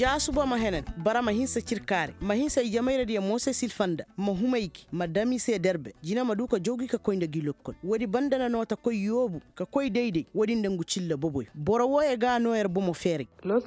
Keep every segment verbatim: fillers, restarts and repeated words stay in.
Ja suba ma henan, bara ma hinsa cirkaare, ma hinsa ijemayradiyo moose silfanda, ma huma i gi ma dam i se derbe, jina ma du ka jaw gi ka koy nda gi lokkol. Woodi banda na noo ta koy yoobu, ka koy day-day woodi nda ngu cilla boboyo. Boro wooyo ga a noo yer bomo feeray. Da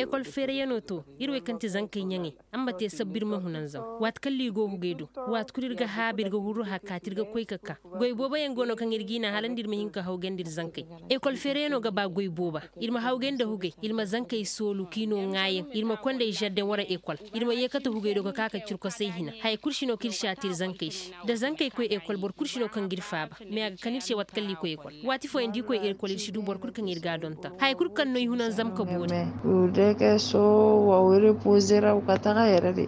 ekol feerayanoo too, ir wey kaŋ ti zankey ɲaŋey, a ma te sabbu ir ma hunanzam. Waati kaŋ ra ir go hugey do, waati kul ir ga haabu ir ga hurru hakaati ir ga koy ka kaa. Goy booboyaŋ go no kaŋ ir g'i na hala nda ir ma hin ka hawgay nda ir zankey. Ekol feerayanoo ga ba goy booba. Ir ma hawgay nda hugey, ir ma zankey soolu k'i noo ŋaayaŋ, ir ma koy nda i žardeŋ wara ekol. Ir ma yeekate hugey do ka kaa ka curkosey hina haya kul si no kaŋ ir si a te ir zankey se. Da zankey koy ekol boro kul si no kaŋ ga ir faaba. Me a ga kan ir se waati kaŋ ra ir koy ekol. Waati fooyaŋ da ir koy ekol ir si du boro kul kaŋ ir ga a donton haya kul kaŋ no i hunanzam ka boori. Ur de ke so wa wiri puuzira ka taga yere de.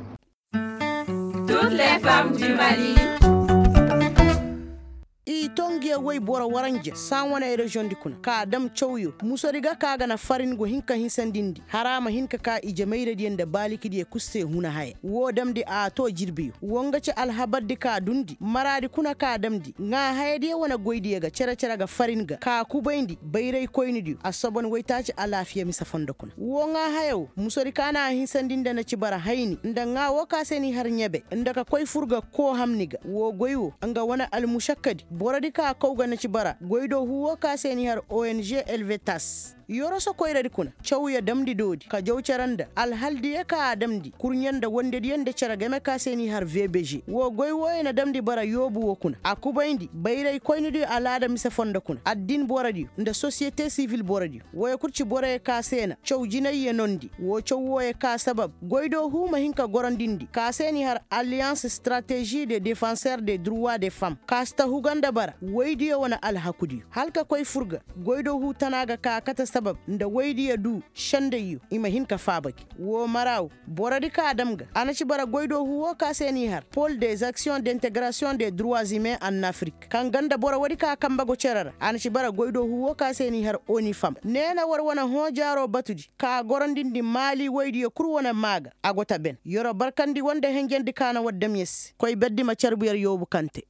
I to ngiyo woy boro waranja saa wane reziyoŋ di kuna ka a dam cawyo musodi ga ka ga na farin go hin ka hinsandi ndi hara ma hin ka ka ijemayradiyo nda baalikidiyo kul se huna haya woo damndi a too jirbiyo woo nga ci alhabardi ka dundi maraadi kuna ka damndi ŋaahayadiyo wane goydiyo ga cere-cere ga farin ga ka kubayndi bayraykoynidiyo assobon woytaaci alaafiya mise fondo kuna woo ŋaahaya woo musodi ka na a hinsandi nda na ci bara hayni nda ŋaa woo ka se n'i har ɲebe nda ka koy fur ga koo hamni ga woo goy woo nga wane almušakkadi borodi ka kaw ga na ci bara goy do huu woo ka se n'i har ong elvetas yoroso koyradi kuna cawya damndi doodi ka jaw cere nda alhaldiyo ka a damndi kurɲe nda wondediyo nda cere game ka se n'i har vbg woo goy wooyo na damndi bara yoobu woo kuna a kubayndi bayraykoynidiyo alaada mise fondo kuna addin borodiyo nda sosiyete sivil borodiyo wooyo kul ci boroyo ka se na caw jinayyo nondi woo caw wooyo ka sabab goy do huu ma hin ka gorondindi ka se n'i har aliyans strategi de defanser de druwa de fam ka si ta huga nda bara woydiyo wane alhakudiyo hala ka koy fur ga goy do huu tana ga ka kate sabab nda woydiyo duu sendayyo i ma hin ka faaba gi woo mara woo borodi ka a dam ga a na ci bara goy do huu woo ka se n'i har pol dez aksiyoŋ de integrasiyoŋ de druwa zimen an afrik kaŋ ga nda boro woodi ka kambe go cere ra a na ci bara goy do huu woo ka se n'i har onifam nee na war wane hõo jaaroo batudi ka a gorondindi maali woydiyo kul wane maa ga a go ta ben yeroo barkandi war nda henjendi ka na war dam yer se koy berdi ma carbu yer yoobu kaŋ te